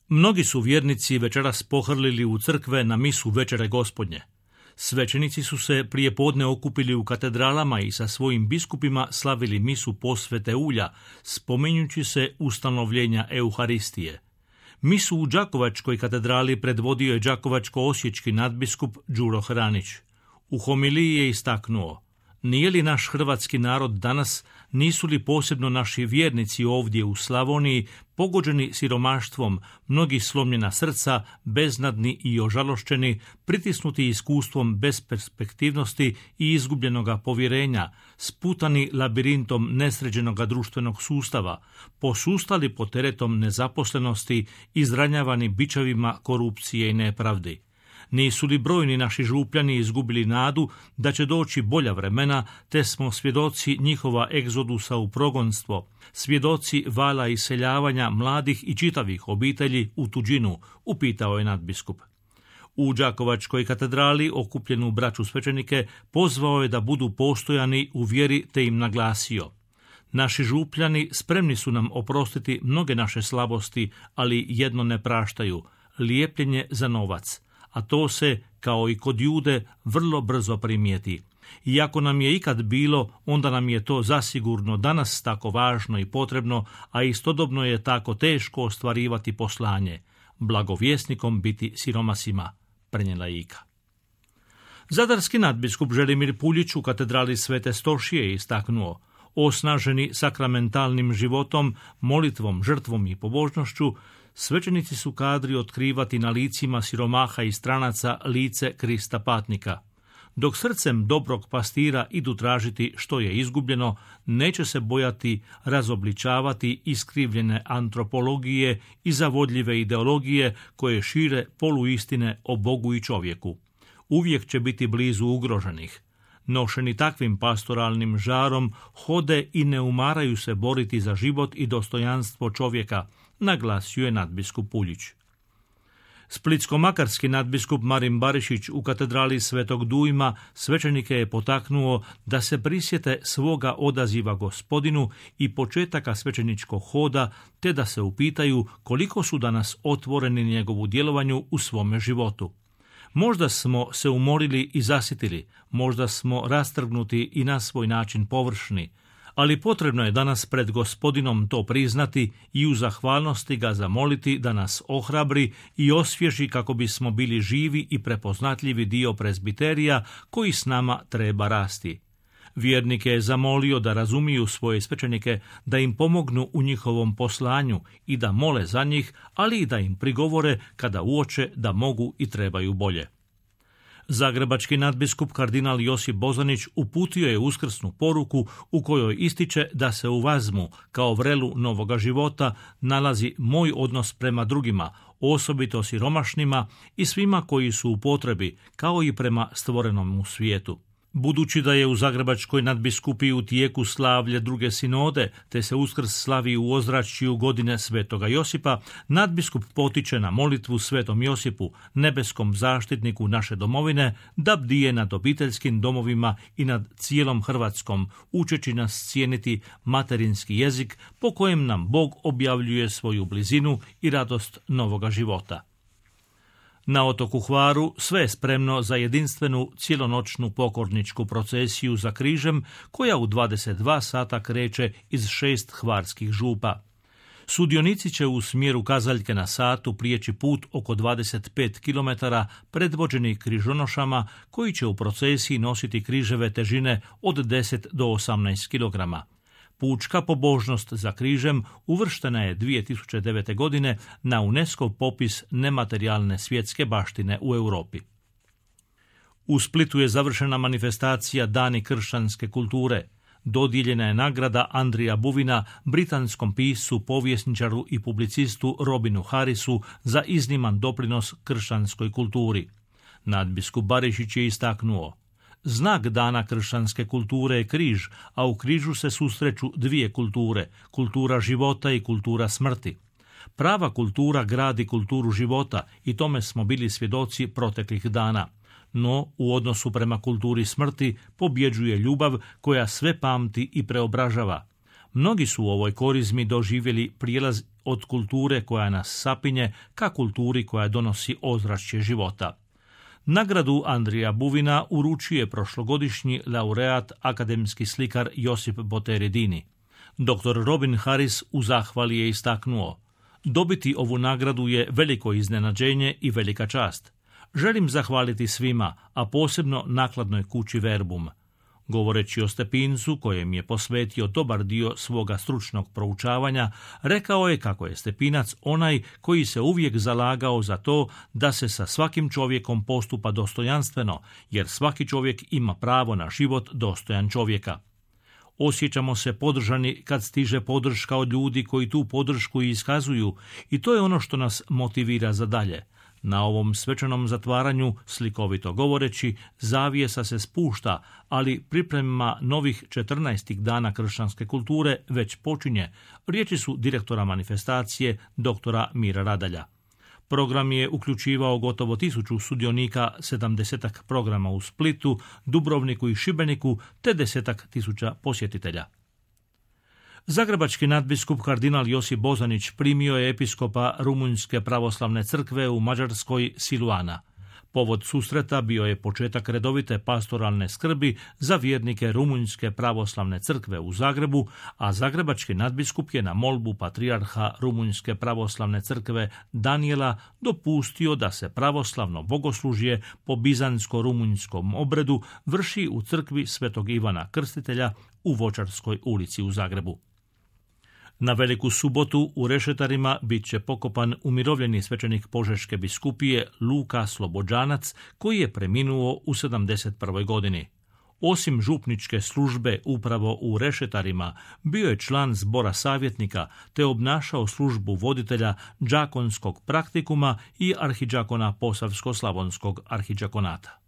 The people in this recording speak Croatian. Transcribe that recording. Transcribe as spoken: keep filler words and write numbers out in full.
Mnogi su vjernici večeras pohrlili u crkve na misu Večere Gospodnje. Svećenici su se prije podne okupili u katedralama i sa svojim biskupima slavili misu posvete ulja, spominjući se ustanovljenja Euharistije. Misu u Đakovačkoj katedrali predvodio je đakovačko-osječki nadbiskup Đuro Hranić. U homiliji je istaknuo: nije li naš hrvatski narod danas, nisu li posebno naši vjernici ovdje u Slavoniji pogođeni siromaštvom, mnogi slomljena srca, beznadni i ožalošćeni, pritisnuti iskustvom besperspektivnosti i izgubljenoga povjerenja, sputani labirintom nesređenoga društvenog sustava, posustali pod teretom nezaposlenosti, izranjavani bičevima korupcije i nepravdi. Nisu li brojni naši župljani izgubili nadu da će doći bolja vremena, te smo svjedoci njihova egzodusa u progonstvo, svjedoci vala iseljavanja mladih i čitavih obitelji u tuđinu, upitao je nadbiskup. U Đakovačkoj katedrali okupljenu braću svećenike pozvao je da budu postojani u vjeri, te im naglasio: naši župljani spremni su nam oprostiti mnoge naše slabosti, ali jedno ne praštaju, lijepljenje za novac. A to se, kao i kod Jude, vrlo brzo primijeti. I ako nam je ikad bilo, onda nam je to zasigurno danas tako važno i potrebno, a istodobno je tako teško ostvarivati poslanje, blagovjesnikom biti siromasima, prenijela Ika. Zadarski nadbiskup Želimir Puljić u katedrali Svete Stošije je istaknuo: osnaženi sakramentalnim životom, molitvom, žrtvom i pobožnošću, svećenici su kadri otkrivati na licima siromaha i stranaca lice Krista patnika. Dok srcem dobrog pastira idu tražiti što je izgubljeno, neće se bojati razobličavati iskrivljene antropologije i zavodljive ideologije koje šire poluistine o Bogu i čovjeku. Uvijek će biti blizu ugroženih. Nošeni takvim pastoralnim žarom, hode i ne umaraju se boriti za život i dostojanstvo čovjeka, naglasio je nadbiskup Puljić. Splitsko-makarski nadbiskup Marin Barišić u katedrali Svetog Dujma svećenike je potaknuo da se prisjete svoga odaziva Gospodinu i početaka svećeničkog hoda, te da se upitaju koliko su danas otvoreni njegovu djelovanju u svome životu. Možda smo se umorili i zasitili, možda smo rastrgnuti i na svoj način površni, ali potrebno je danas pred Gospodinom to priznati i u zahvalnosti ga zamoliti da nas ohrabri i osvježi kako bismo bili živi i prepoznatljivi dio prezbiterija koji s nama treba rasti. Vjernike je zamolio da razumiju svoje svećenike, da im pomognu u njihovom poslanju i da mole za njih, ali i da im prigovore kada uoče da mogu i trebaju bolje. Zagrebački nadbiskup kardinal Josip Bozanić uputio je uskrsnu poruku u kojoj ističe da se u vazmu, kao vrelu novoga života, nalazi moj odnos prema drugima, osobito siromašnima i svima koji su u potrebi, kao i prema stvorenom u svijetu. Budući da je u Zagrebačkoj nadbiskupiji u tijeku slavlje druge sinode, te se Uskrs slavi u ozračju godine Svetoga Josipa, nadbiskup potiče na molitvu Svetom Josipu, nebeskom zaštitniku naše domovine, da bdije nad obiteljskim domovima i nad cijelom Hrvatskom, učeći nas cijeniti materinski jezik po kojem nam Bog objavljuje svoju blizinu i radost novoga života. Na otoku Hvaru sve je spremno za jedinstvenu cijelonoćnu pokorničku procesiju za križem koja u dvadeset dva sata kreće iz šest hvarskih župa. Sudionici će u smjeru kazaljke na satu prijeći put oko dvadeset pet kilometara predvođeni križonošama koji će u procesiji nositi križeve težine od deset do osamnaest kilograma. Pučka pobožnost za križem uvrštena je dvije tisuće devete. godine na UNESCO popis nematerijalne svjetske baštine u Europi. U Splitu je završena manifestacija Dani kršćanske kulture. Dodijeljena je nagrada Andrija Buvina britanskom piscu, povjesničaru i publicistu Robinu Harrisu za izniman doprinos kršćanskoj kulturi. Nadbiskup Barišić je istaknuo: znak Dana kršćanske kulture je križ, a u križu se susreću dvije kulture, kultura života i kultura smrti. Prava kultura gradi kulturu života i tome smo bili svjedoci proteklih dana. No, u odnosu prema kulturi smrti pobjeđuje ljubav koja sve pamti i preobražava. Mnogi su u ovoj korizmi doživjeli prijelaz od kulture koja nas sapinje ka kulturi koja donosi ozračje života. Nagradu Andrija Buvina uručuje prošlogodišnji laureat akademski slikar Josip Boteredini. doktor Robin Harris u zahvali je istaknuo: dobiti ovu nagradu je veliko iznenađenje i velika čast. Želim zahvaliti svima, a posebno nakladnoj kući Verbum. Govoreći o Stepincu, kojem je posvetio dobar dio svoga stručnog proučavanja, rekao je kako je Stepinac onaj koji se uvijek zalagao za to da se sa svakim čovjekom postupa dostojanstveno, jer svaki čovjek ima pravo na život dostojan čovjeka. Osjećamo se podržani kad stiže podrška od ljudi koji tu podršku iskazuju i to je ono što nas motivira za dalje. Na ovom svečanom zatvaranju, slikovito govoreći, zavjesa se spušta, ali priprema novih četrnaestih dana kršćanske kulture već počinje. Riječi su direktora manifestacije, doktora Mira Radalja. Program je uključivao gotovo tisuću sudionika, sedamdesetak programa u Splitu, Dubrovniku i Šibeniku, te desetak tisuća posjetitelja. Zagrebački nadbiskup kardinal Josip Bozanić primio je episkopa Rumunjske pravoslavne crkve u Mađarskoj Siluana. Povod susreta bio je početak redovite pastoralne skrbi za vjernike Rumunjske pravoslavne crkve u Zagrebu, a zagrebački nadbiskup je na molbu patrijarha Rumunjske pravoslavne crkve Danijela dopustio da se pravoslavno bogoslužje po bizantsko-rumunjskom obredu vrši u crkvi Svetog Ivana Krstitelja u Voćarskoj ulici u Zagrebu. Na Veliku subotu u Rešetarima bit će pokopan umirovljeni svećenik Požeške biskupije Luka Slobodžanac, koji je preminuo u sedamdeset prvoj godini. Osim župničke službe upravo u Rešetarima, bio je član zbora savjetnika te obnašao službu voditelja đakonskog praktikuma i arhidžakona Posavsko-slavonskog arhidžakonata.